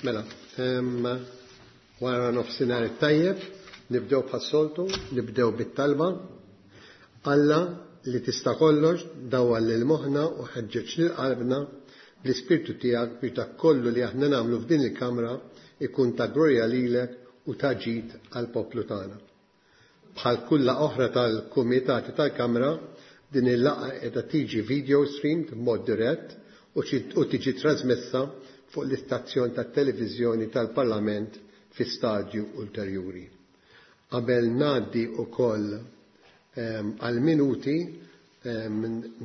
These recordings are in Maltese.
Mela, wara nofsinhar it-tajjeb, nibdew bħas-soltu, nibdew bit-talba. Alla li tista' kollox, dawwal lil moħħna u ħeġġeġ lil qalbna bl-Ispirtu tiegħek biex dak kollu li aħna nagħmlu f'din il-kamra ikun ta' glorja lilek u ta' ġid għall-poplu tagħna. Bħal kull laqgħa oħra tal-kumitati tal-Kamra, din il-laqgħa qiegħda tiġi video streamed b'mod dirett u tiġi trasmessa fuq l-istazzjon tat-televiżjoni tal-Parlament fi stadju ulterjuri. Qabel ngħaddi wkoll għall-minuti,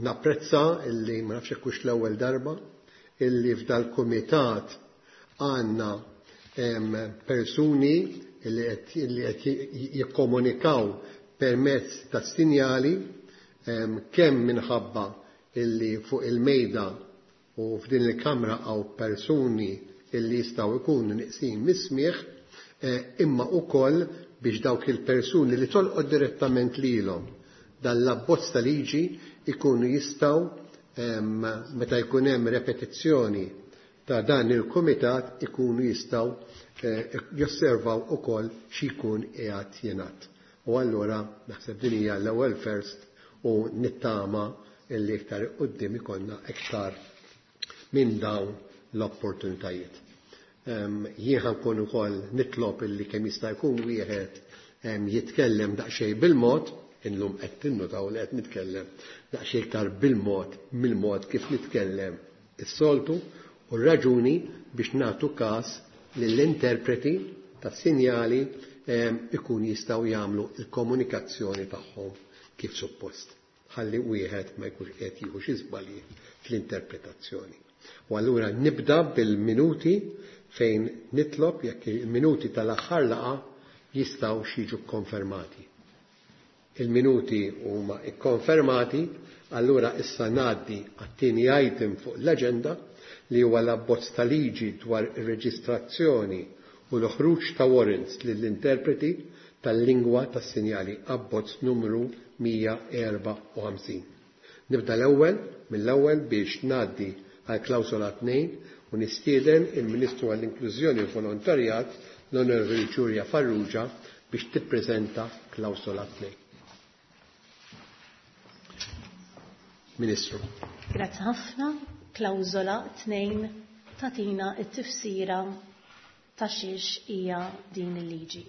napprezza illi, ma nafx jekk hux l-ewwel darba, illi f'dal-kumitat għandna persuni li qed jikkomunikaw permezz ta' sinjali kemm minħabba illi fuq il-mejda u f'din il-kamra hawn persuni illi jistgħu jkunu nieqsin mis-smigħ imma wkoll biex dawk il-persuni li tolqot direttament lilhom dan l-abbozz ta' liġi jkunu jistgħu meta jkun hemm repetizzjoni ta' dan il-kumitat ikunu jistgħu josservaw ukoll xi jkun qiegħed jingħad. U allura naħseb din hija l-ewwel first u nittama illi iktar quddiem ikollna iktar minn dawn l-opportunitajiet. Jien ħa nkun ukoll nitlob illi kemm jista' jkun wieħed jitkellem daqsxejn bil-mod, illum qed tinnutaw li qed nitkellem daqsxejn iktar bil-mod mill-mod kif nitkellem is-soltu, u r-raġuni biex nagħtu każ lill-interpreti tas-sinjali ikun jistgħu jagħmlu l-komunikazzjoni tagħhom kif suppost, ħalli wieħed ma jkunx qiegħed jieħu xi żbalji fl-interpretazzjoni. U allura nibda bil-minuti fejn nitlob jekk il-minuti tal-aħħar laqgħa jistgħu jiġu kkonfermati. Il-minuti huma kkonfermati, allura issa ngħaddi għat-tieni item fuq l-aġenda li huwa l-abbozz ta' liġi dwar ir-reġistrazzjoni u l-ħruġ ta' warrants lill-interpreti tal-lingwa tas-sinjali, abbozz numru 154. Nibda l-ewwel mill-ewwel biex ngħaddi għal klawsola 2 u nistieden il-Ministru għall-Inklużjoni u Volontarjat l-Onorevoli Julia Farrugia biex tippreżenta klawsola 2. Ministru. Grazzi ħafna. Klawsola 2 tatina t-tifsira ta' xiex hija din il-liġi.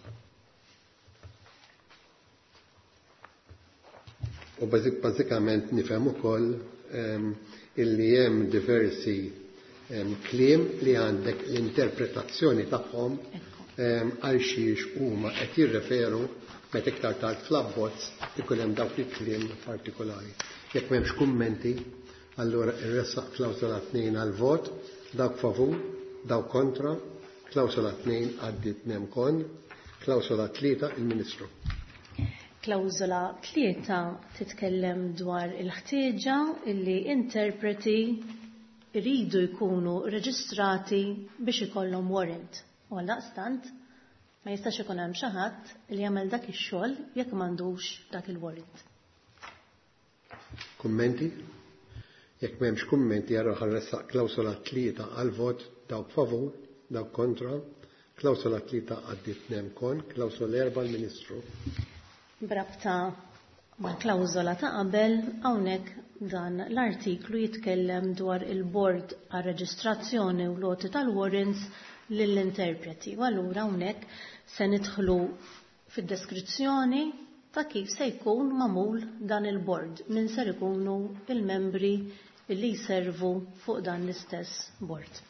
U bażikament nifhem ukoll illi hemm diversi kliem li għandek l-interpretazzjoni tagħhom għal xiex huma qed jirreferu meta iktar tard fl-abbozz ikun hemm dawk il-kliem partikolari. Jekk m'hemmx kummenti, allura irressaq klawsola 2 għal vot, dawk favur, dawk kontra, klawsola 2 għaddiet nemkon, klawsola 3 il-Ministru. Klawsola 3 titkellem dwar il-ħtieġa illi interpreti iridu jkunu reġistrati biex ikollhom warrant. U għaldaqstant ma jistax ikun hemm xi ħadd li jagħmel dak ix-xogħol jekk m'għandux dak il-warrant. Kummenti? Jekk m'hemmx kummenti allura ħarressaq klawsola 3 għal vot, dawk favur, dawk kontra, klawsola 3 għaddiet nemkon, klawsola 4 l-Ministru. B'rabta ma' klawsola ta' qabel, hawnhekk dan l-artiklu jitkellem dwar il-bord għar-reġistrazzjoni u loti tal-warrants lill-interpreti. U allura hawnhekk se nidħlu fid-deskrizzjoni ta' kif se jkun magħmul dan il-bord, min ser ikunu il-membri li jservu fuq dan l-istess bord.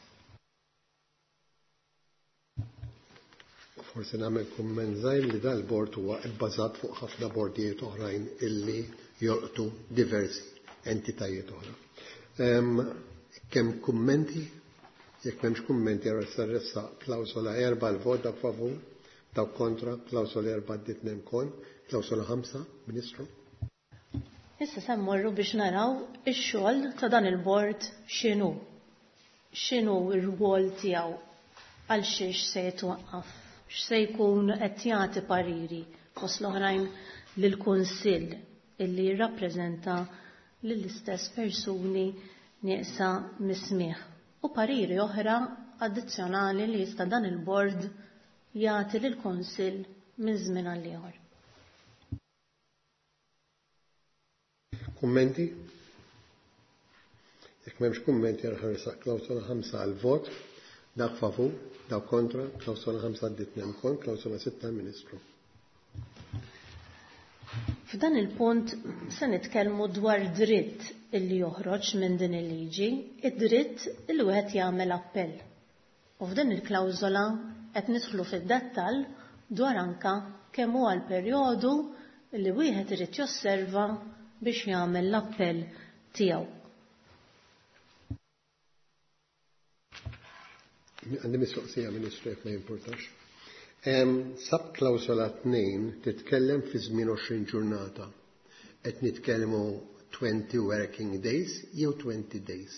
Forsi nagħmel kumment żgħir li dal-bord huwa bbażat fuq ħafna bordijiet oħrajn illi jolqtu diversi entitajiet oħra. Kemm kummenti? Jekk m'hemmx kummenti allura se nressaq klawsola 4 l-vot dawk favur, dawk kontra, klawsola 4 għaddiet nemkon, klawsola 5, Ministru. Issa se mmorru biex naraw ix-xogħol ta' dan il-bord x'inhu. X'inhu r-rwol tiegħu, għal xiex se jitwaqqaf, x'se jkun qed jagħti pariri fost l-oħrajn lill-Kunsill illi jirrappreżenta lill-istess persuni nieqsa mis-smigħ u pariri oħra addizzjonali li jista' dan il-bord jagħti lill-Kunsill minn żmien għal ieħor. Kummenti? Jekk m'hemmx kummenti ħa nressaq klawsola 5 għal vot. Dak favur, dak kontra, klawsola 5 għaddiet nem kont, klawsola 6 Ministru. F'dan il-punt se nitkellmu dwar dritt illi joħroġ minn din il-liġi, id-dritt illi wieħed jagħmel appell. U f'din il-klawżola qed nidħlu fid-dettall dwar anka kemm huwa l-perjodu li wieħed irid josserva biex jagħmel l-appell tiegħu. Għandi mistoqsija, Ministru, jekk ma jimpurtax. Sub klawsola 2 titkellem fi żmien 20 ġurnata. Qed nitkellmu 20 working days jew 20 days?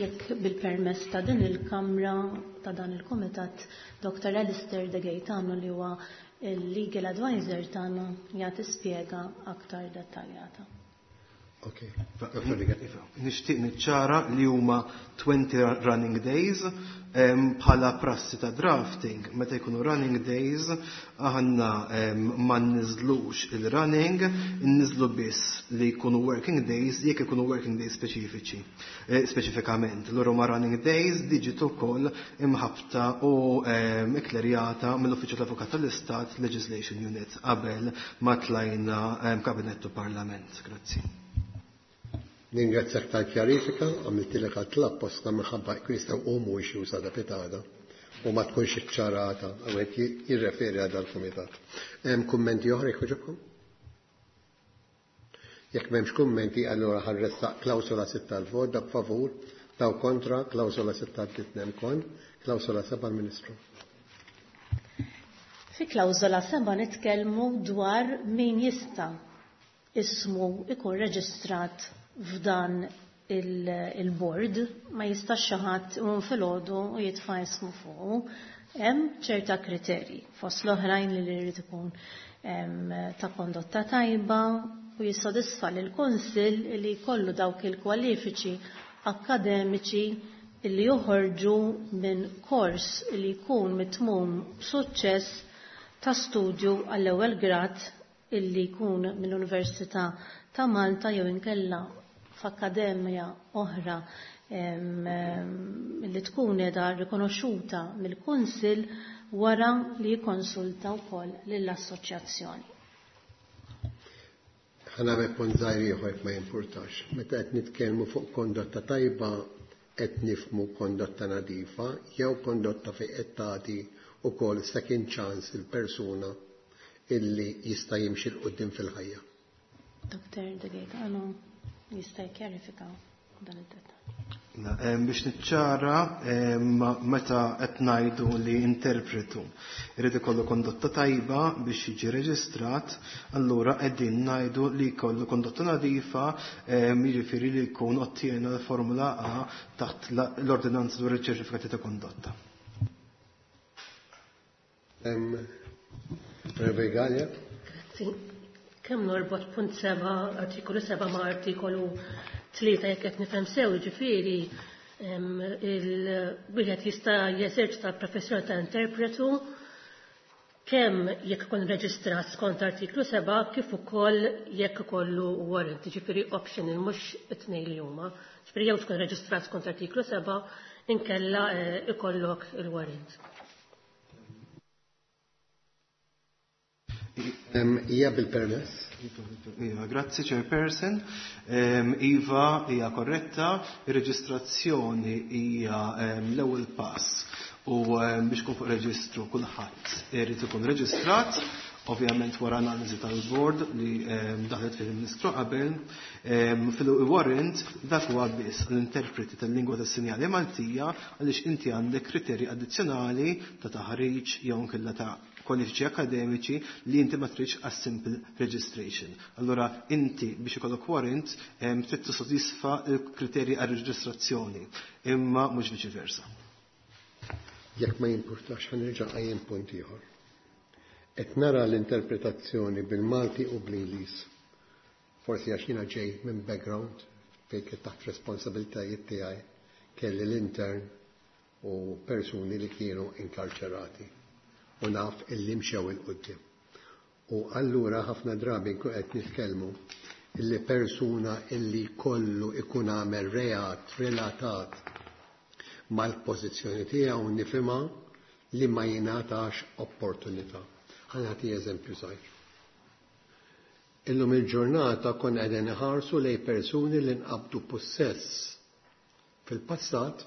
Jekk bil-permess ta' din il-Kamra, ta' dan il-Kumitat, Dr. Alistair De Gaetano li huwa il-legal advisor tagħna jagħti spjega aktar dettaljata. Ok. Nixtieq niċċara li huma 20 running days bħala prassi ta' drafting. Meta jkunu running days, aħna ma nniżlux il-running, nniżlu biss li jkunu working days jekk ikunu working days speċifiċi, speċifikament. Lura ma running days diġi ukoll imħabta u ikklerjata mill-Uffiċċju tal-Avukat tal-Istat Legislation Unit qabel ma tlajna Kabinett u Parlament. Grazzi. Ningrazzjak tal-kjarifika, għamiltilek għat apposta minħabba jkun jistgħu jqumu issues għada pitgħada u ma tkunx iċċarata għawek jirreferi għal dal-kumitat. Hemm kummenti oħra jekk jogħġobkom? Jekk m'hemmx kummenti, allura ħa nressaq klawsola 6 tal-vot, dak favur, daw kontra, klawsola 6 għaddiet kon, klawsola 7 Ministru. Fi klawsola 7 nitkellmu dwar min jista' ismu ikun reġistrat f'dan il-board, ma jistax xi ħadd iqum filgħodu u jitfa' ismu fuqu. Hemm ċerta kriterji fost l-oħrajn li jrid ikun ta' kondotta tajba u jissodisfa lil kunsill li jkollu dawk il-kwalifiċi akademiċi li joħorġu minn kors li jkun mitmum b'suċċess ta' studju għall-ewwel grad illi jkun mill-Università ta' Malta jew inkella f'akkademja oħra li tkun qiegħda rikonoxxuta mill-Kunsill wara li jikkonsulta wkoll lill-assoċjazzjoni. Ħa nagħmel punt żgħir ieħor jekk ma jimpurtax. Meta qed nitkellmu fuq kondotta tajba qed nifhmu kondotta nadifa jew kondotta fejn qed tagħti wkoll second chance il-persuna illi jista' jimxi 'l quddiem fil-ħajja. Dr. De Gaetano jista' jkjarifika dan id-dettall. Biex niċċara, meta qed ngħidu li interpretu irid ikollu kondotta tajba biex jiġi reġistrat, allura qegħdin ngħidu li jkollu kondotta nadifa, jiġifieri li jkun ottiena l-Formula A taħt l-Ordinanza dwar iċ-ċertifikati ta' kondotta. Revegalja? Sì. Kemm norbot punt 7, artikolu 7 ma' artikolu 3 jekk qed nifhem sew, ġifieri il-wieħed jista' jeżerċita l-professjoni ta' interpretu kemm jekk ikun reġistrat skont artiklu 7 kif ukoll jekk ikollu warrant, ġifieri optional mhux it-tnejn li huma. Ġifieri jew tkun reġistrat skont artiklu 7 inkella ikollok il-warrant. Hija bil-permess. Iva, grazzi Chairperson. Iva, hija korretta, ir-reġistrazzjoni hija l-ewwel pass u biex kun fuq reġistru kulħadd irid ikun reġistrat, ovvjament wara analiżi tal-board li daħlet fil-Ministru qabel, fil-warrant dak huwa biss l-interpreti tal-lingwa tas-sinjali Maltija għaliex inti għandek kriterji addizzjonali ta' taħriġ jew inkella ta' kwalifiċi akademiċi li inti ma tridx għas simple registration. Allora inti biex ikollok warrant trid tissodisfa l-kriterji għar reġistrazzjoni, imma mhux viċi versa. Jekk ma jimpurtax ħa nerġa' nqajjem punt ieħor. Qed nara l-interpretazzjoni bil-Malti u bl-Ingliż. Forsi għax jiena ġej minn background fejn kien taħt responsabilitajiet tiegħi kelli l-intern u persuni li kienu inkarċerati u naf illi mxew 'il quddiem. U allura ħafna drabi nkun qed nitkellmu illi persuna illi kollu ikun għamel reat relatat mal-pożizzjoni tiegħu nifhimha li ma jingħatax opportunità. Ħa nagħti eżempju żgħir. Illum il-ġurnata konna qegħdin iħarsu lejn persuni li nqabdu pussess fil-passat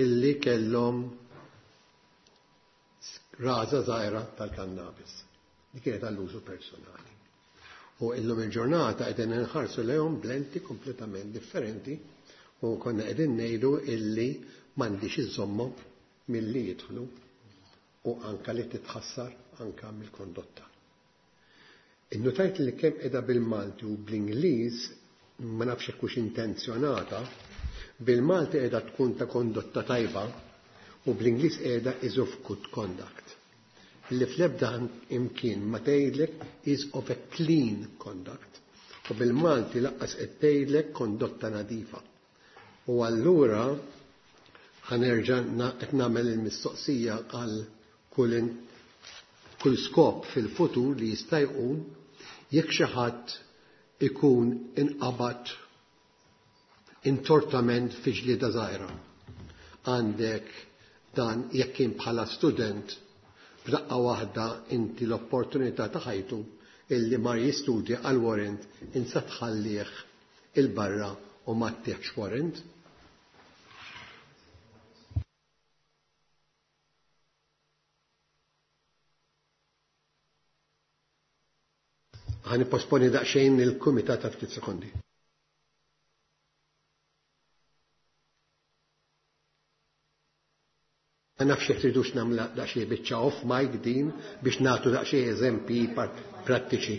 illi kellhom raża żgħira tal-kannabis. Li kienet għall-użu personali. U illum il-ġurnata qegħdin inħarsu lejhom b'lenti kompletament differenti u konna qegħdin ngħidu illi m'għandix iżommhom milli jidħlu u anka li titħassar anka mill-kondotta. Innotajt li kemm qiegħda bil-Malti u bl-Ingliż ma nafx hekk hux intenzjonata, bil-Malti qiegħda tkun ta' kondotta tajba u bl-Ingliż qiegħda is of good conduct. Li fl-ebda imkien ma tgħidlek is of a clean conduct u bil-Malti lanqas qed tgħidlek kondotta nadifa. U allura ħa nerġa' qed nagħmel il-mistoqsija għal kull kull skop fil-futur li jista' jqum jekk xi ħadd ikun inqabad intortament fi ġlieda żgħira. Għandek dan jekk kien bħala student f'daqqa waħda inti l-opportunità ta' ħajtu illi mar jistudja għal warrant insa tħallih il-barra u ma ttieħx warrant. Ħa nipposponi daqsxejn il-kumitat ta' ftit sekondi. Ma nafx jekk tridux nagħmla daqsxejn biċċa off mic din biex nagħtu daqsxejn eżempji prattiċi.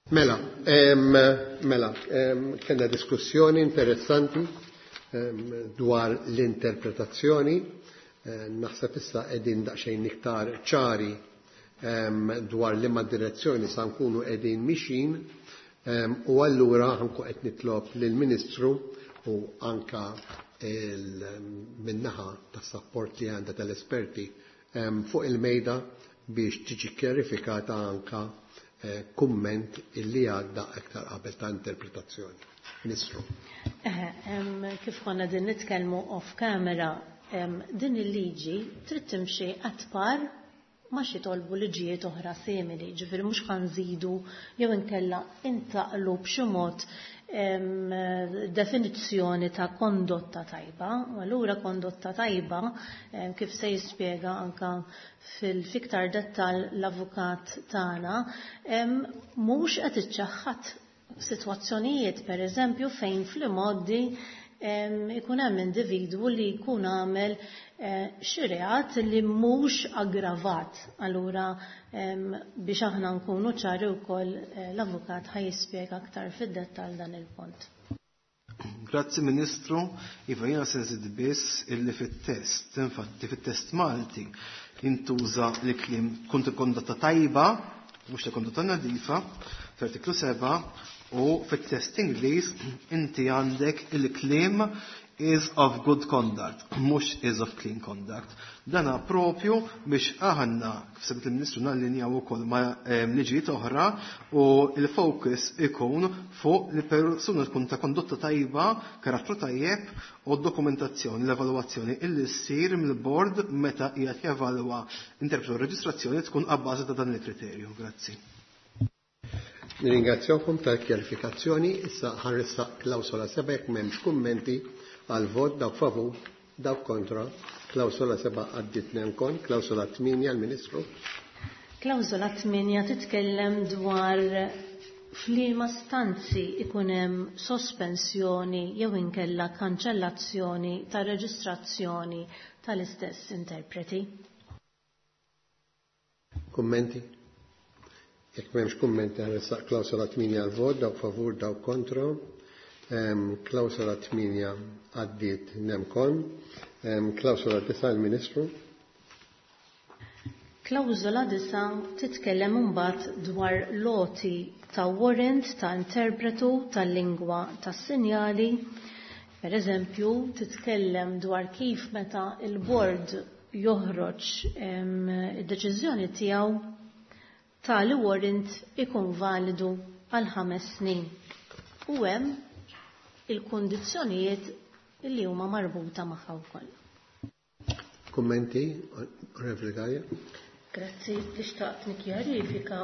Mela, mela, kellna diskussjoni interessanti dwar l-interpretazzjoni. Naħseb issa qegħdin daqsxejn iktar ċari dwar liema direzzjoni sa nkunu qegħdin mixin, u allura ħankun qed nitlob lill-Ministru u anka min-naħa tas-sapport li għandha tal-esperti fuq il-mejda biex tiġi kjarifikata anka kumment illi għadda aktar qabel ta' interpretazzjoni. Ministru. Kif konna din nitkellmu off camera, din il-liġi trid timxi at par ma xi tolbu liġijiet oħra simili, ġifieri mhux ħanżidu jew inkella intaqlu b'xi mod definizzjoni ta' kondotta tajba. U allura kondotta tajba, kif se jispjega anka fil-fiktar dettal l-avukat tagħna, mhux qed iċċaħħad sitwazzjonijiet, per eżempju, fejn fl-imoddi ikun hemm individwu li jkun għamel xi reat li mhux aggravat. Allura biex aħna nkunu ċari wkoll, l-avukat ħa jispjega aktar fid-dettall dan il-punt. Grazzi, Ministru. Iva, jiena se nżid biss illi fit-test, infatti fit-test Malti jintuża l-kliem kunt kondotta tajba, mhux ta' kondotta nadifa, fl-artiklu 7, u fit-test Ingliż inti għandek il-kliem "is of good conduct", mhux "is of clean conduct". Dana propju biex aħna, kif semmiet il-Ministru, nallinjaw ukoll ma' liġijiet oħra u il-focus ikun fuq li persuna tkun ta' kondotta tajba, karattru tajjeb, u dokumentazzjoni, l-evalwazzjoni illi ssir mill-board meta qiegħed jevalwa interpretu reġistrazzjoni tkun abbażi ta' dan il-kriterju. Grazzi. Nirringrazzjawkom tal-kjarifikazzjoni. Issa ħa nressaq klawsola 7 jekk m'hemmx kummenti għal vot. Dawk favur, dawk kontra. Klawsola 7 għaddit nem con. Klawsola 8, l-Ministru. Klawsola 8 titkellem dwar f'liema stanzi ikun hemm sospensjoni jew inkella kanċellazzjoni ta' reġistrazzjoni tal-istess interpreti. Kummenti? Jekk m'hemmx kummenti, ħa nressaq klawsola 8 għal vot. Dawk favur, dawk kontra. Klawsola 8 għaddiet nem con. Klawsola 9, il-Ministru. Klawżola 9 titkellem imbagħad dwar l-għoti ta' warrant ta' interpretu tal-lingwa tas-sinjali. Per eżempju, titkellem dwar kif meta il-board joħroġ id-deċiżjoni tiegħu, tali warrant ikun validu għal 5 snin. U hemm il-kundizzjonijiet li huma marbuta magħha wkoll. Kummenti, Onorevoli Galea? Grazzi, li xtaqt nikkjarifika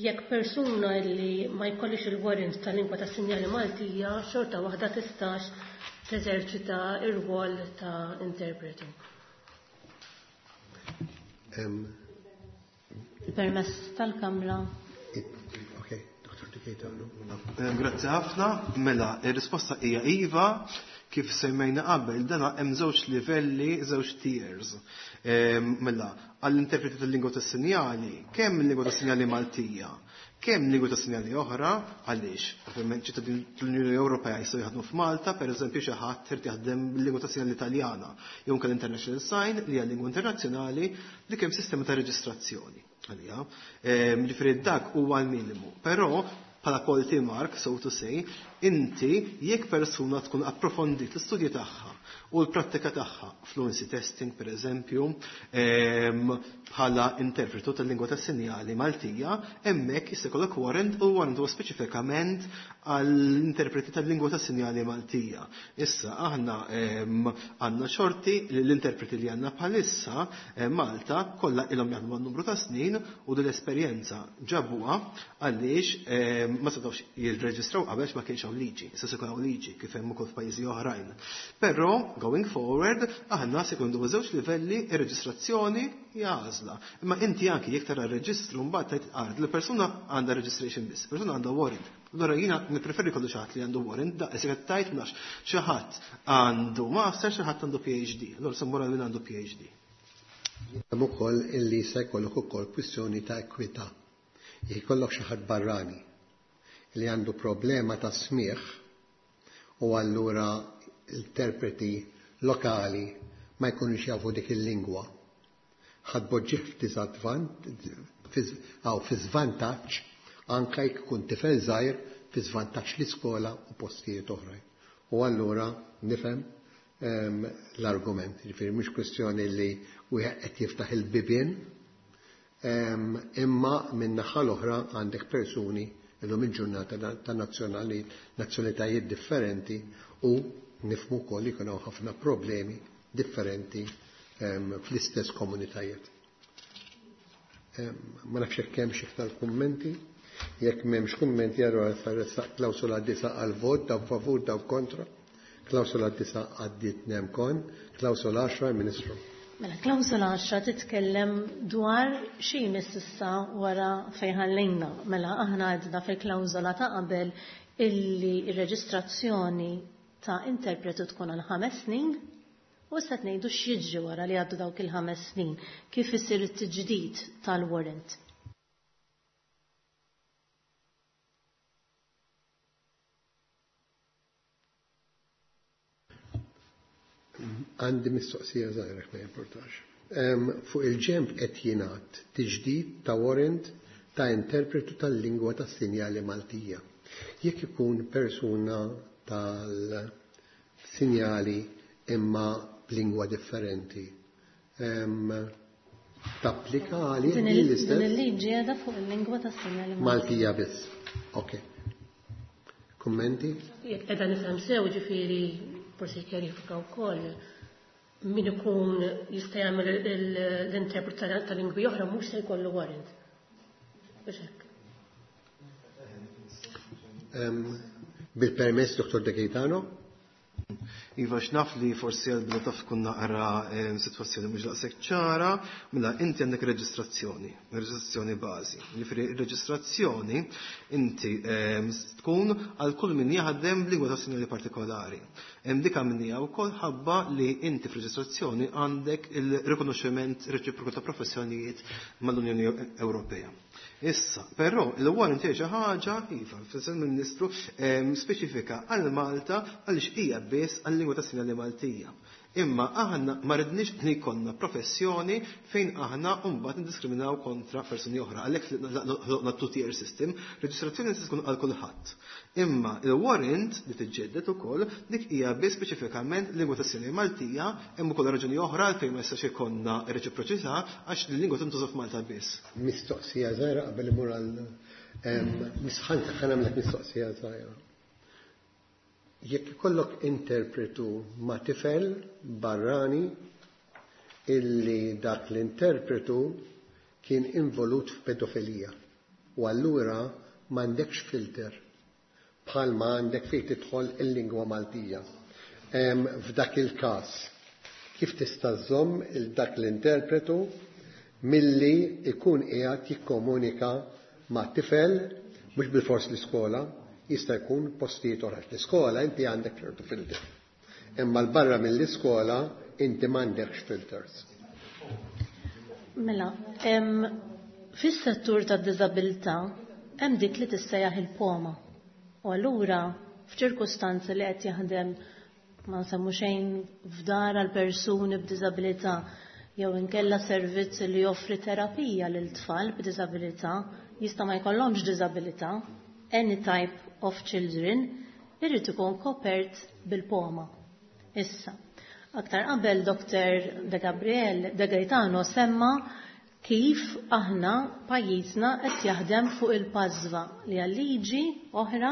jekk persuna li ma jkollix il-warrant tal-lingwa ta' sinjali Maltija xorta waħda tistax teżerċita ir-rwol ta' interpretu. Il-permess tal-Kamra. Ok, Dr. Dikejta, no? Grazzi ħafna. Mela, ir-risposta hija iva, kif semmejna qabel, dana hemm żewġ livelli, żewġ tiers. Mela, għall-interpreti tal-lingwa tas-sinjali, kemm il-lingwa tas-sinjali Maltija, kemm lingwa tas-sinjali oħra, għaliex, ovvjament ċittadin tal-Unjoni Ewropea jistgħu jaħdmu f'Malta, pereżempju xi ħadd irid jaħdem bil-lingwa tas-sinjali Italjana, jew anke l-International Sign li hija lingwa internazzjonali li kemm sistema ta' reġistrazzjoni għalija. Ġifieri dak huwa l-minimu. Però bħala quality mark, so to say, inti jekk persuna tkun approfondit l-istudji tagħha u l-prattika tagħha, fluency testing per eżempju, bħala interpretu tal-lingwa tas-sinjali Maltija, hemmhekk jista' jkollok warrant, u warrant huwa speċifikament għall-interpreti tal-lingwa tas-sinjali Maltija. Issa aħna għandna xorti li l-interpreti li għandna bħalissa Malta kollha ilhom jaħdmu numru ta' snin u din l-esperjenza ġabuha, għaliex ma setgħux jirreġistraw qabel ma kienx hawn liġi. Issa se jkun hawn liġi kif hemm ukoll f'pajjiżi oħrajn. Però going forward aħna se jkun żewġ livelli, ir-reġistrazzjoni hija għażla. Imma inti anki jekk tara r-reġistru mbagħad tgħid ard li persuna għandha registration biss, persuna għandha warrant. Allora jiena nippreferi kollu xi ħadd li għandu warrant, da qed tgħid nafx xi ħadd għandu master, xi ħadd għandu PhD. Allora se mmur min għandu PhD. Hemm ukoll illi se jkollok ukoll kwistjoni ta' ekwità. Jekk ikollok xi ħadd barrani. li għandu problema ta' smigħ u allura interpreti lokali ma jkunux jafu dik il-lingwa. Ħa tpoġġih fi żvantaġġ anke jekk ikun tifel żgħir, fi żvantaġġ l-iskola u postijiet oħrajn. U allura nifhem l-argument. Ġifieri mhux kwestjoni li wieħed qed jiftaħ il-bibien, imma min-naħa l-oħra għandek persuni illum il-ġurnata ta' nazzjonalitajiet differenti u nifhmu wkoll li jkun hawn ħafna problemi differenti fl-istess komunitajiet. Ma nafx jekk hemmx iktar kummenti. Jekk m'hemmx kummenti, allura nressaq klawsola 9 għal vot. Dawk favur, dawk kontra. Klawsola 9 għaddiet nem con. Klawsola 10, Ministru. Mela, klawsola 10 titkellem dwar xi issa wara fejn ħallejna. Mela, aħna għedna fil-klawsola ta' qabel illi ir-reġistrazzjoni ta' interpretu tkun għal 5 snin u issa ngħidu x'jiġri wara li għaddu dawk il-5 snin, kif isir it-tiġdid tal-warrant. Għandi mistoqsija żgħira, ma jimportax. Fuq il-ġenb qed jingħad tiġdid ta' warrant ta' interpretu tal-lingwa tas-sinjali Maltija. Jekk ikun persuna tal-sinjali imma b'lingwa differenti, tapplika għalih Din l-istess? Il-liġi għadha fuq il-lingwa tas-sinjali. Maltija biss. Ok. Kummenti? Jekk qiegħda nifhem sew, ġifieri forsi kjarifika wkoll, min ikun jista' jagħmel l-interpret ta' lingwi oħra mhux se jkollu warrant. Biex hekk. Bil-permess, Dr. De Gaetano? Iva, x'naf li forsi għal-bidu taf tkun naqra sitwazzjoni mhux daqshekk ċara, mela inti għandek reġistrazzjoni, reġistrazzjoni bażi. Jiġifieri reġistrazzjoni inti tkun għal kull min jaħdem b'lingwa ta' sinjali partikolari. Hemm dik għamilniha wkoll ħabba li inti f'reġistrazzjoni għandek il-rikonoxximent reċiproku ta' professjonijiet mal-Unjoni Ewropea. Issa, però, il-warrant hija xi ħaġa, iva, fis Ministru speċifika għal Malta għaliex hija biss għal-lingwa ta' sinjali Maltija. Imma aħna ma ridniex li jkollna professjoni fejn aħna mbagħad niddiskriminaw kontra persuni oħra. Għalhekk ħloqna two-tier system, reġistrazzjoni se tkun għal kulħadd. Imma il-warrant li tiġġedded ukoll dik hija biss speċifikament lingwa ta' sinjali Maltija, hemm ukoll raġuni oħra għalfejn ma jistax ikollna reċiproċità, għax il-lingwa tintuża f'Malta biss. Mistoqsija żgħira qabel imur għal misħan, ħa nagħmlek mistoqsija żgħira. Jekk ikollok interpretu ma' tifel barrani illi dak l-interpretu kien involut f'pedofilija u allura m'għandekx filter bħalma għandek fejn tidħol il-lingwa Maltija. F'dak il-każ, kif tista' żomm il dak l-interpretu milli ikun qiegħed jikkomunika ma' tifel, mhux bil-fors l-iskola, jista' jkun postijiet oħra? L-iskola inti għandek ċertu filter. Imma l-barra mill-iskola inti m'għandekx filters. Mela, fis-settur tad-diżabilità hemm dik li tissejjaħ il-POMA. U allura f'ċirkustanzi li qed jaħdem, ma nsemmu xejn, f'dar għal persuni b'diżabilità jew inkella servizz li joffri terapija lil tfal b'diżabilità, jista' ma jkollhomx diżabilità, any type of children, irrid ikun kopert bil-POMA. Issa, aktar qabel Dr. De Gabriel De Gaetano semma kif aħna pajjiżna qed jaħdem fuq il-PASVA, li għal liġi oħra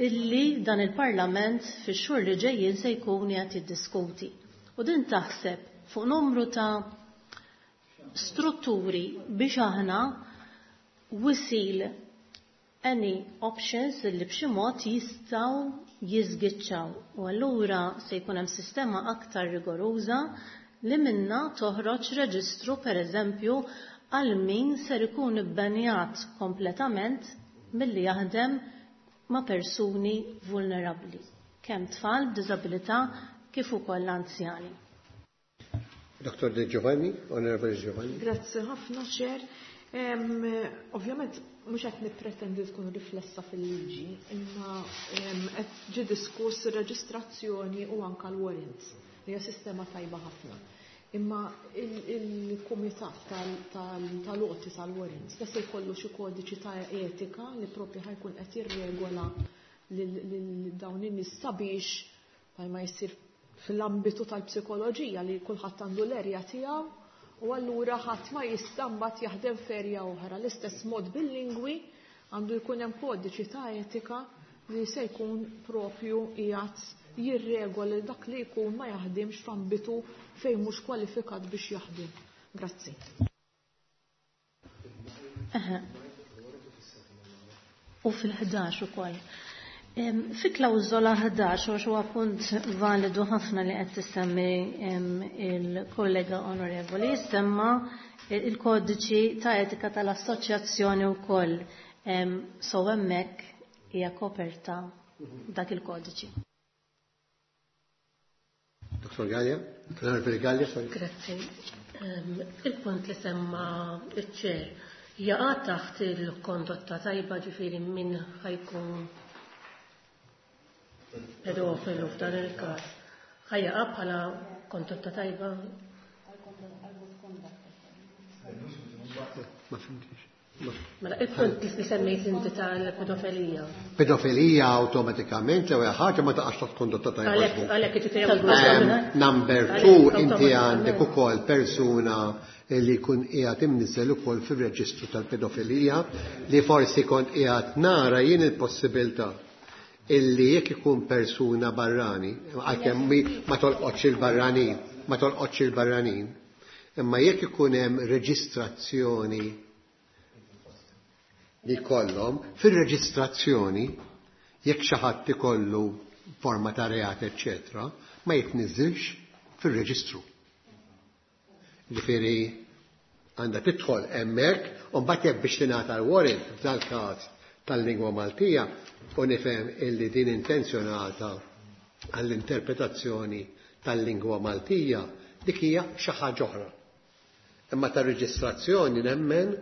illi dan il-Parlament fix-xhur li ġejjin se jkun qed jiddiskuti. U din taħseb fuq numru ta' strutturi biex aħna we seal any options li b'xi mod jistgħu jiżgiċċaw. U allura se jkun hemm sistema aktar rigoruża li minna toħroġ reġistru, per eżempju, għal min ser ikun ibbenjat kompletament milli jaħdem ma' persuni vulnerabbli, kemm tfal b'diżabilità kif ukoll anzjani. Dr. De Giovanni, Onorevole Giovanni. Grazzi ħafna, Chair. Ovvjament mhux qed nippretendi tkun riflessa fil-liġi, imma qed ġie diskuss ir-reġistrazzjoni u anke l-warrants li hija sistema tajba ħafna. Imma il-kumitat tal-għoti tal-warrants da se jkollu xi kodiċi ta' etika li propju ħa jkun qed jirregola lil dawn in-nies sabiex bħalma jsir fl-ambitu tal-psikoloġija li kulħadd għandu l-erja tiegħu u allura ħadd ma jista' mbagħad jaħdem f'erja oħra. L-istess mod bil-lingwi għandu jkun hemm kodiċi ta' etika li se jkun propju qiegħed jirregola dak li jkun ma jaħdimx f'ambitu fejn mhux kwalifikat biex jaħdem. Grazzi. U fil-11 ukoll. Fi klawżola 11, għax huwa punt validu ħafna li qed tissemmi il-kollega onorevoli, semma il-kodiċi ta' etika tal-assoċjazzjoni wkoll. So hemmhekk hija koperta dak il-kodiċi. Dr. Gallia, Onorevoli Gallia, sorry. Grazzi. Il-punt li semma iċ-chair jaqa' taħt il-kondotta tajba, ġifieri min ħa jkun pedofilu f'dan il-każ ħa jaqa' bħala kondotta tajba? Ma fimtix. Mela, il-punt li semmejt inti tal-pedofilija. Pedofilija awtomatikament l-ewwel ħaġa ma taqax taħt kondotta tajba. Għalhekk jiġifieri Number 2, inti għandek ukoll persuna li jkun qiegħed imniżel ukoll fir-reġistru tal-pedofilija li forsi kont qiegħed nara jien il-possibilità illi jekk ikun persuna barrani, għalkemm ma tolqotx il-barranin, ma tolqotx il-barranin, imma jekk ikun hemm reġistrazzjoni li kollhom, fir-reġistrazzjoni jekk xi ħadd ikollu forma ta' reat, eċċetera, ma jitniżilx fir-reġistru. Ġifieri għandha tidħol hemmhekk u mbagħad jekk biex tingħata l-warrant f'dal-każ tal-lingwa Maltija u nifhem illi din intenzjonata għall-interpretazzjoni tal-lingwa Maltija dik hija xi ħaġa oħra. Imma tar-reġistrazzjoni nemmen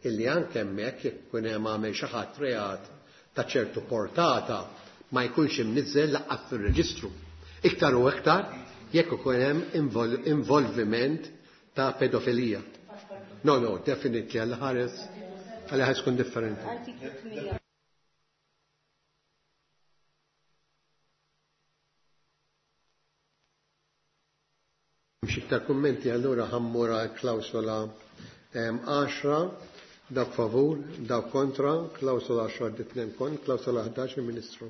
illi anke hemmhekk jekk ikun hemm għamel xi ħadd reat ta' ċertu portata ma jkunx imniżżel laqqas fir-reġistru. Iktar u iktar jekk ikun hemm involviment ta' pedofilija. No, no, definitely għall-ħares għall-ħares kun differenti. Mhux iktar kummenti, allura ħammura klawsola 10, dawk favur, dawk kontra, klawsola 10 ditnem kon, klawsola 11 il-Ministru.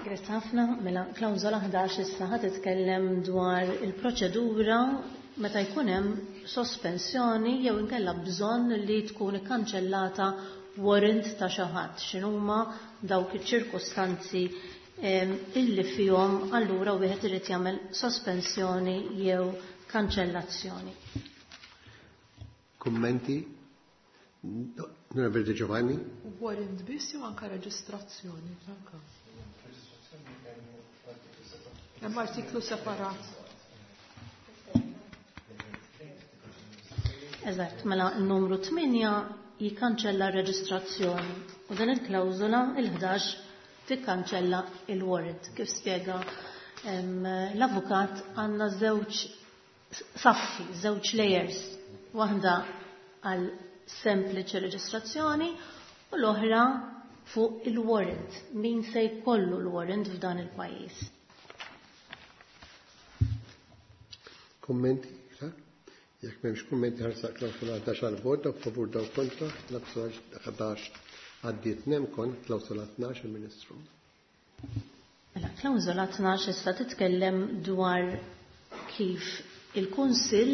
Grazzi ħafna, mela klawsola 11 issa ħa titkellem dwar il-proċedura meta jkun hemm sospensjoni jew inkella bżonn li tkun ikkanċellata warrant ta' xi ħadd. X'inhuma dawk iċ-ċirkustanzi illi fihom allura wieħed irid jagħmel sospensjoni jew kanċellazzjoni. Kummenti? Onorevole Giovanni? Warrant biss jew anke reġistrazzjoni, anke. Hemm artiklu separat. Eżatt, mela n-numru 8 jikkanċella r-reġistrazzjoni u din il-klawżola il-11 tikkanċella il-warrant. Kif spjega l-avukat, għandna żewġ saffi, żewġ layers, waħda għal sempliċi reġistrazzjoni u l-oħra fuq il-warrant, min se jkollu l-warrant f'dan il-pajjiż. Kummenti? Jekk m'hemmx kummenti ħarsaq klawsola 11 għal vot, dawk favur, dawk kontra, klawsola 11 għaddiet nemkon, klawsola 12 il-Ministru. Mela, klawsola 12 issa titkellem dwar kif il-Kunsill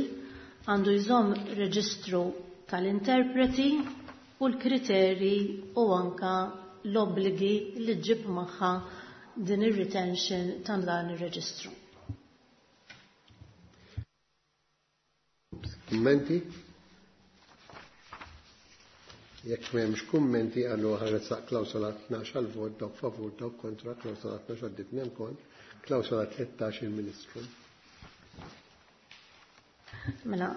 għandu jżomm reġistru tal-interpreti u l-kriteri u anka l-obbligi li ġib magħha din ir-retention ta' dan ir-reġistru. Kummenti? Jekk m'hemmx kummenti, allura ħaresaq klawsola 12 għal vot, dawk favur, dawk kontra, klawsola 12 għaddiet nemkon, klawsola 13 il-Ministru. Mela,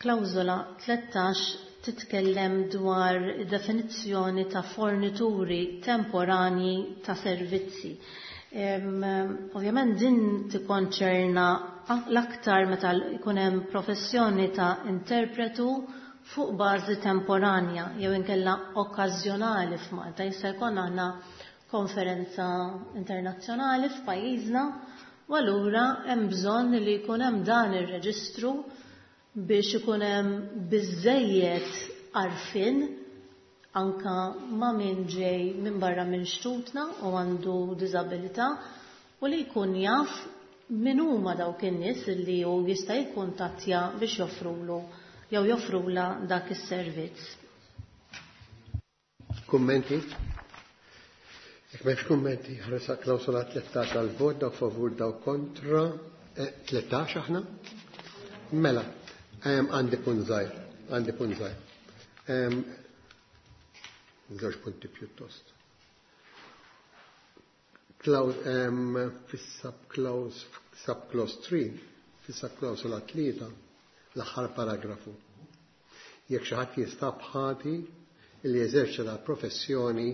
klawsola 13 titkellem dwar definizzjoni ta' fornituri temporanji ta' servizzi. Ovvjament din tikkonċerna l-aktar meta jkun hemm professjoni ta' interpretu fuq bażi temporanja jew inkella okkażjonali f'Malta. Jista' jkollna aħna konferenza internazzjonali f'pajjiżna u allura hemm bżonn li jkun hemm dan ir-reġistru biex ikun hemm biżejjed għarfien anka ma' min ġej minn barra minn xtutna u għandu diżabilità u li jkun jaf min huma dawk in-nies li hu jista' jikkuntattja biex joffrulu jew joffrula dak is-servizz. Kummenti? Jekk m'hemmx kummenti, ħarsa klawsola 13 għal vot, dawk favur, dawk kontra. 13 aħna? Mela, għandi punt żgħir, għandi punt żgħir. Żewġ punti pjuttost. Fis-subclause, subclause 3, fis-subklawsola 3, l-aħħar paragrafu. Jekk xi ħadd jinstab ħati li jeżerċita professjoni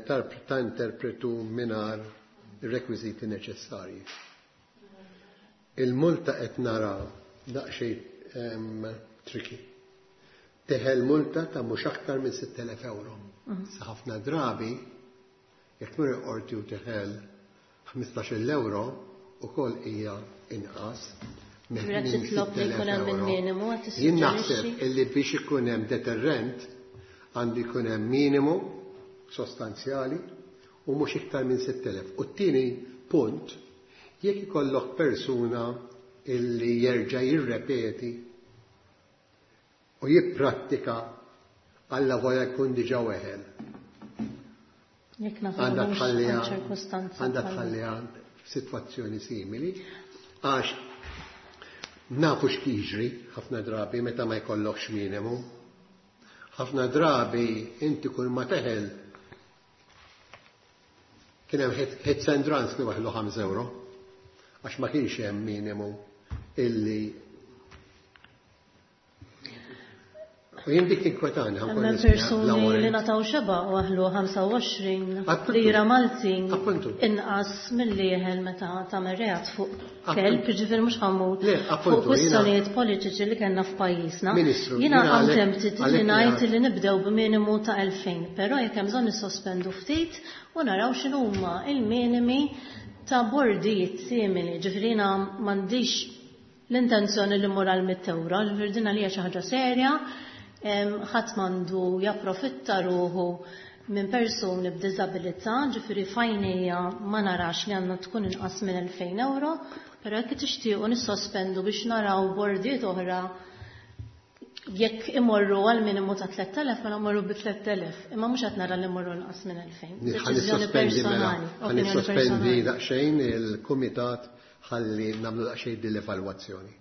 ta' interpretu mingħajr ir-rekwiżiti neċessarji. Il-multa qed nara daqsxejn tricky. Teħel multa ta' mhux aktar minn 6,000 euro. Sa ħafna drabi, jekk tmur il-qorti u teħel 15 euro, ukoll hija inqas minn Ġifieri qed titlob li jkun hemm 6,000 euro. il-minimu, qed Jien tissuġġerixxi? naħseb illi biex ikun hemm deterrent għandu jkun hemm minimu sostanzjali u mhux iktar minn 6,000. U t-tieni punt, jekk ikollok persuna illi jerġa' jirrepeti u jipprattika alla volja jkun diġà weħel. Jekk nafu Għandha mhux tħalliha għal ċirkustanza għandha bħal tħalliha f'sitwazzjoni simili, għax nafu x'jiġri ħafna drabi meta ma jkollokx minimu. Ħafna drabi inti kull ma teħel kien hemm hits and runs li waħlu 5 euro għax ma kienx hemm minimu illi U jien dik tinkwetani, ħankun Hemm nisma' persuni bla li warrant. nataw xeba u aħlu 25 Appuntu. lira Maltin Appuntu. inqas milli jeħel meta tagħmel reat fuq Appuntu. kelb, jiġifieri mhux ħammur Le, appuntu, fuq jiena- kwistjonijiet politiċi li kellna f'pajjiżna. Ministru, Jiena jiena I'm għalhekk- tempted li għalhekk ngħid jiena- li nibdew b'minimu ta' 2000, però jekk hemm bżonn nissospendu ftit u naraw x'inhuma il-minimi ta' bordijiet simili, ġifieri jiena m'għandix l-intenzjoni li mmur għal mitt euro, ġifieri din għalija xi ħaġa serja, ħadd m'għandu japprofitta ruħu minn persuni b'diżabilità, ġifieri fajnija ma narax li għandna tkun inqas minn 2000 euro, però jekk tixtiequ nissospendu biex naraw bordijiet oħra jekk imorru għal minimu ta' 3000, mela mmorru bi 3000, imma mhux qed nara li mmorru inqas minn 2000. Ħa Deċiżjoni nissospendi mela, personali, ħa opinjoni nissospendi personali. daqsxejn il-kumitat ħalli nagħmlu daqsxejn din l-evalwazzjoni.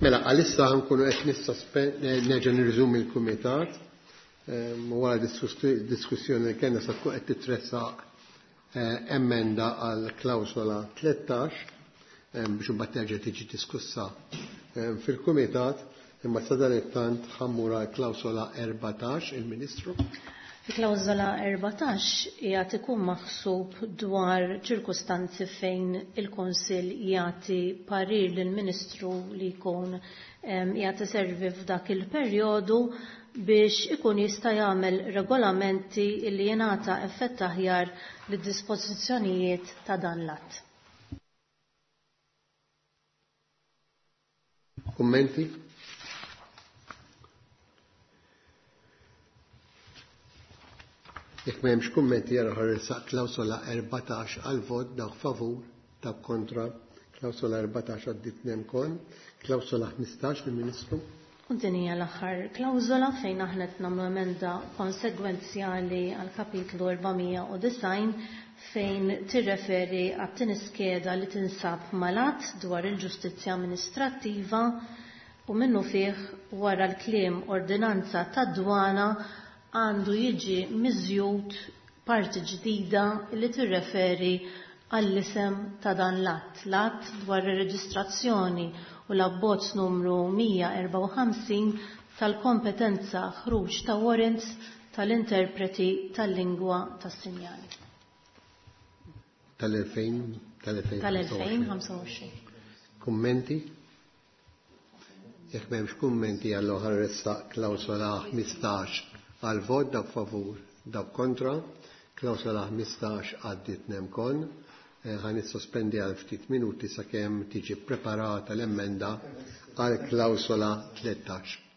Mela, għalissa nkunu qed nerġa' nirriżumi l-kumitat. Wara diskussjoni li kellna sa tkun qed titressaq emenda għal klawsola 13 biex imbagħad terġa' tiġi diskussa fil-kumitat, imma sadanittant ħammur għal klawsola 14 il-Ministru. Il-klawżola 14 qiegħed ikun maħsub dwar ċirkustanzi fejn il-Kunsill jagħti parir lill-Ministru li jkun qiegħed iservi f'dak il-perjodu biex ikun jista' jagħmel regolamenti li jingħata effett aħjar lid-dispożizzjonijiet ta' dan l-att. Kummenti? Jekk m'hemmx kummenti jara ħarrisaq klawsola 14 għal vot dawk favur, dawk kontra. Klawsola 14 għaddit nemkon. Klawsola 15 lill-Ministru. U din hija l-aħħar klawsola fejn aħna qed nagħmlu emenda konsegwenzjali għal kapitlu 490 fejn tirreferi għat-tieni skeda li tinsab malat dwar il-ġustizzja amministrattiva u minnu fih wara l-kliem ordinanza tad-dwana għandu jiġi miżjud parti ġdida li tirreferi għall-isem ta' dan l-att, l-att dwar ir-reġistrazzjoni u l-abbozz numru 154 tal-kompetenza ħruġ ta' warrants tal-interpreti tal-lingwa tas-sinjali. Tal-2025. Tal-2025. Kummenti? Jekk m'hemmx kummenti allura ħarressaq klawsola 15 għal vot dawk favur, dawk kontra. Klawsola 15 għaddiet nemkon. Ħa nissospendi għal ftit minuti sakemm tiġi preparata l-emenda għal klawsola 13.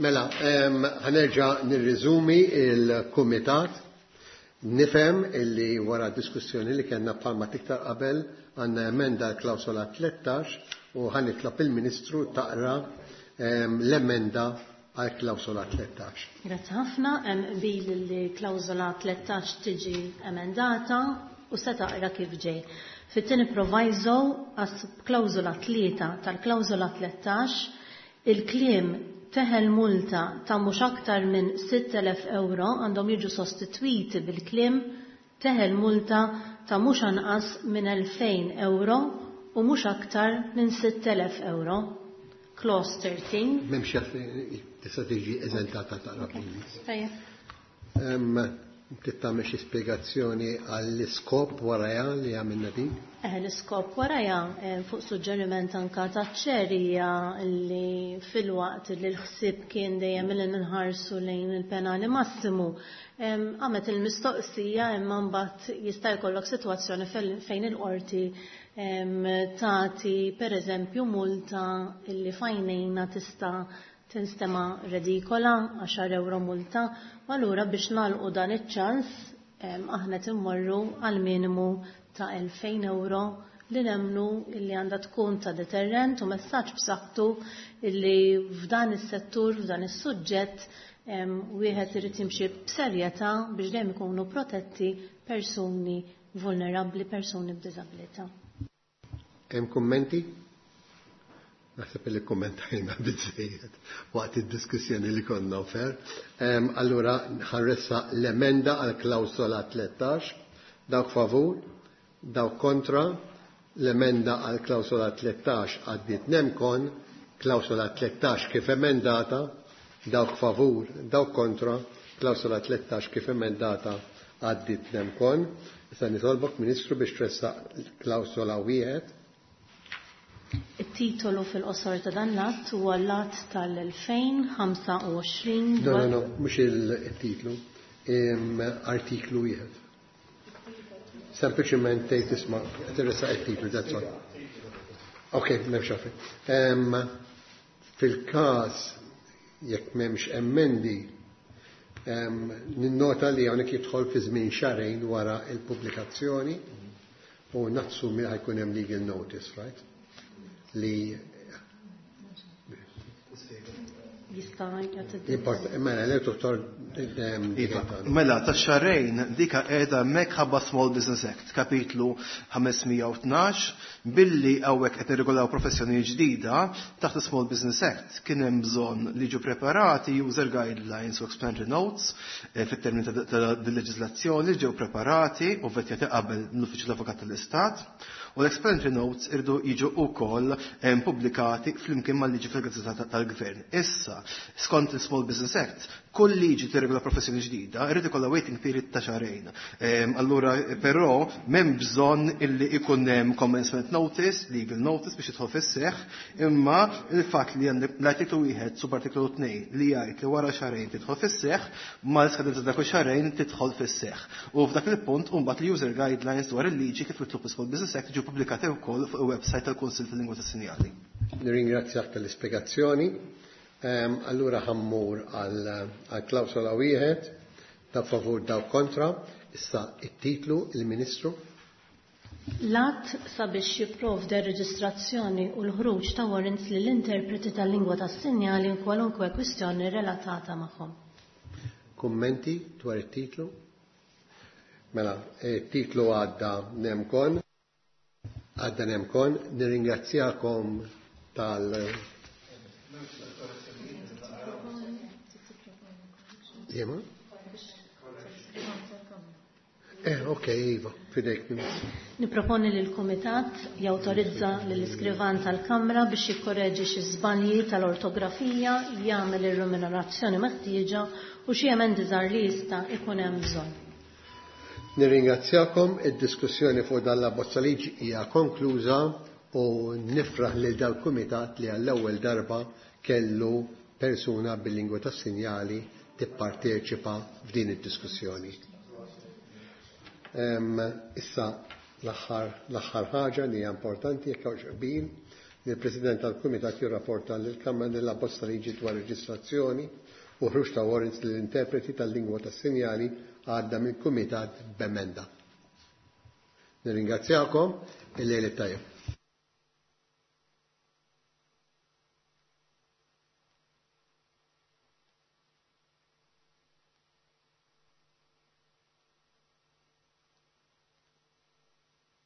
Mela, ħa nerġa' nirriżumi il-kumitat. Nifhem illi wara diskussjoni li kellna bħalma tiktar qabel għandna emenda l-klawsola 13 u ħa nitlob il-Ministru taqra l-emenda għal klawsola 13. Grazzi ħafna, hemm qbil li klawsola 13 tiġi emendata u se taqra kif ġej. Fit-tieni proviso għas klawsola 3 tal-klawsola 13, il-kliem "teħel multa ta' mhux aktar minn 6,000 euro" għandhom jiġu sostitwiti bil-kliem "teħel multa ta' mhux anqas minn 2,000 euro u mhux aktar minn 6,000 euro. Clause 13. M'hemmx tista' tiġi eżentata taqra bl-Ingliż. Tajjeb. Trid tagħmel xi spjegazzjoni għall-iskop warajha li għamilna din? L-iskop warajha, fuq suġġeriment anka taċ-chair, hija li filwaqt li l-ħsieb kien dejjem li nħarsu lejn il-penali massimu, għamet il-mistoqsija imma mbagħad jista' jkollok sitwazzjoni fejn il-qorti tagħti pereżempju multa illi f'għajnejna tista' tinstema redikola, 10 euro multa, u allura biex nagħlqu dan iċ-ċans aħna timmorru għal minimu ta' 2000 euro li nemnu illi għandha tkun ta' deterrent u messaġġ b'saħħtu illi f'dan is-settur, f'dan is-suġġett, wieħed irid jimxi b'serjetà biex dejjem ikunu protetti persuni vulnerabbli, persuni b'diżabilità. Hemm kummenti? Naħseb li kommentajna biżejjed waqt id-diskussjoni li konna fer. Allura ħa nressaq l-emenda għal klawsola 13, dawk favur, dawk kontra, l-emenda għal klawsola 13 għaddiet nemkon, klawsola 13 kif emendata, dawk favur, dawk kontra, klawsola 13 kif emendata għaddiet nemkon. Issa nitolbok, Ministru, biex tressaq klawsola 1. Il-titolu fil-qosor ta' dan l-att huwa l-att tal-2025. No, mhux il-titlu, artiklu 1. Sempliċement tgħid isma' tressaq it-titlu, that's all. Ok, m'hemmx għalfejn. Fil-każ jekk m'hemmx emendi, ninnota li hawnhekk jidħol fi żmien xahrejn wara il-pubblikazzjoni u nassumi ħa jkun hemm legal notice, right? Li Jista' jagħti Mela, le doktor. Iva, mela, ta' xahrejn dika qiegħda hemmhekk ħabba Small Business Act, kapitlu 512, billi hawnhekk qed nirregolaw professjoni ġdida taħt Small Business Act kien hemm bżonn li ġu preparati user guidelines u explanatory notes fit-termini ta' leġislazzjoni ġew preparati u vettjati qabel l-Uffiċċju l-Avukat tal-Istat u l-explanatory notes irdu jiġu wkoll pubblikati flimkien mal-liġi fil-Gazzetta tal-Gvern. Issa, skont il-Small Business Act, kull liġi tirregola professjoni ġdida, irrid ikollha waiting period ta' xahrejn. Allura, però, m'hemm bżonn illi ikun hemm commencement notice, legal notice biex jidħol fis-seħħ, imma il-fatt li għandek l-artiklu 1 subartiklu 2 li jgħid li wara xahrejn tidħol fis-seħħ, mal-skadenza dak xahrejn tidħol fis-seħħ. U f'dak il-punt mbagħad l-user guidelines dwar il-liġi kif mitlub Small Business Act ġew pubblikati wkoll fuq il-website tal-Kunsill tal-Lingwa tas-Sinjali. Nirringrazzjak tal-ispjegazzjoni. Allura ħa mmur għal klawsola 1, dawk favur, dawk kontra, issa it-titlu, il-Ministru. L-att sabiex jipprovdi reġistrazzjoni u l-ħruġ ta' warrants lill-interpreti tal-lingwa tas-sinjali in kwalunkwe kwistjoni relatata magħhom. Kummenti dwar it-titlu? Mela, it-titlu għadda nemkon. Għadda nemkon, nirringrazzjakom tal- Jema? Ok, Iva, fidejk. Niproponi li l-Kumitat jawtorizza lill-iskrivan tal-Kamra biex jikkoreġi xi żbalji tal-ortografija, jagħmel ir-remunerazzjoni meħtieġa u xi emendi żgħar li jista' ikun hemm bżonn. Nirringrazzjakom, id-diskussjoni fuq dan l-abbozza liġi hija konkluża u nifraħ lil dal-Kumitat li għall-ewwel darba kellu persuna bil-lingwa tas-sinjali tipparteċipa f'din id-diskussjoni. Issa l-aħħar ħaġa li hija importanti jekk hawnx qbil li l-President tal-Kumitat jirrapporta lill-Kamra li l-abbozz ta' liġi dwar reġistrazzjoni u ħruġ ta' warrants lill-interpreti tal-lingwa tas-sinjali għadda mill-Kumitat b'emenda. Nirringrazzjakom, il-lejl it-tajjeb.